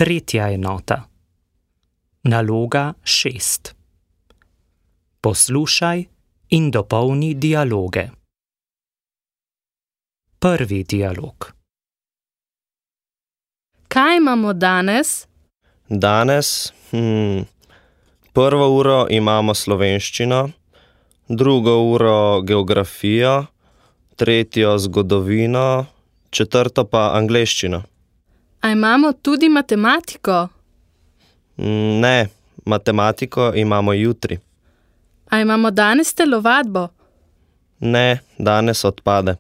Tretja enota. Naloga 6. Poslušaj in dopolni dialoge. Prvi dialog. Kaj imamo danes? Danes, prvo uro imamo slovenščino, drugo uro geografijo, tretjo zgodovino, četrto pa angleščino. A imamo tudi matematiko? Ne, matematiko imamo jutri. A imamo danes telovadbo? Ne, danes odpade.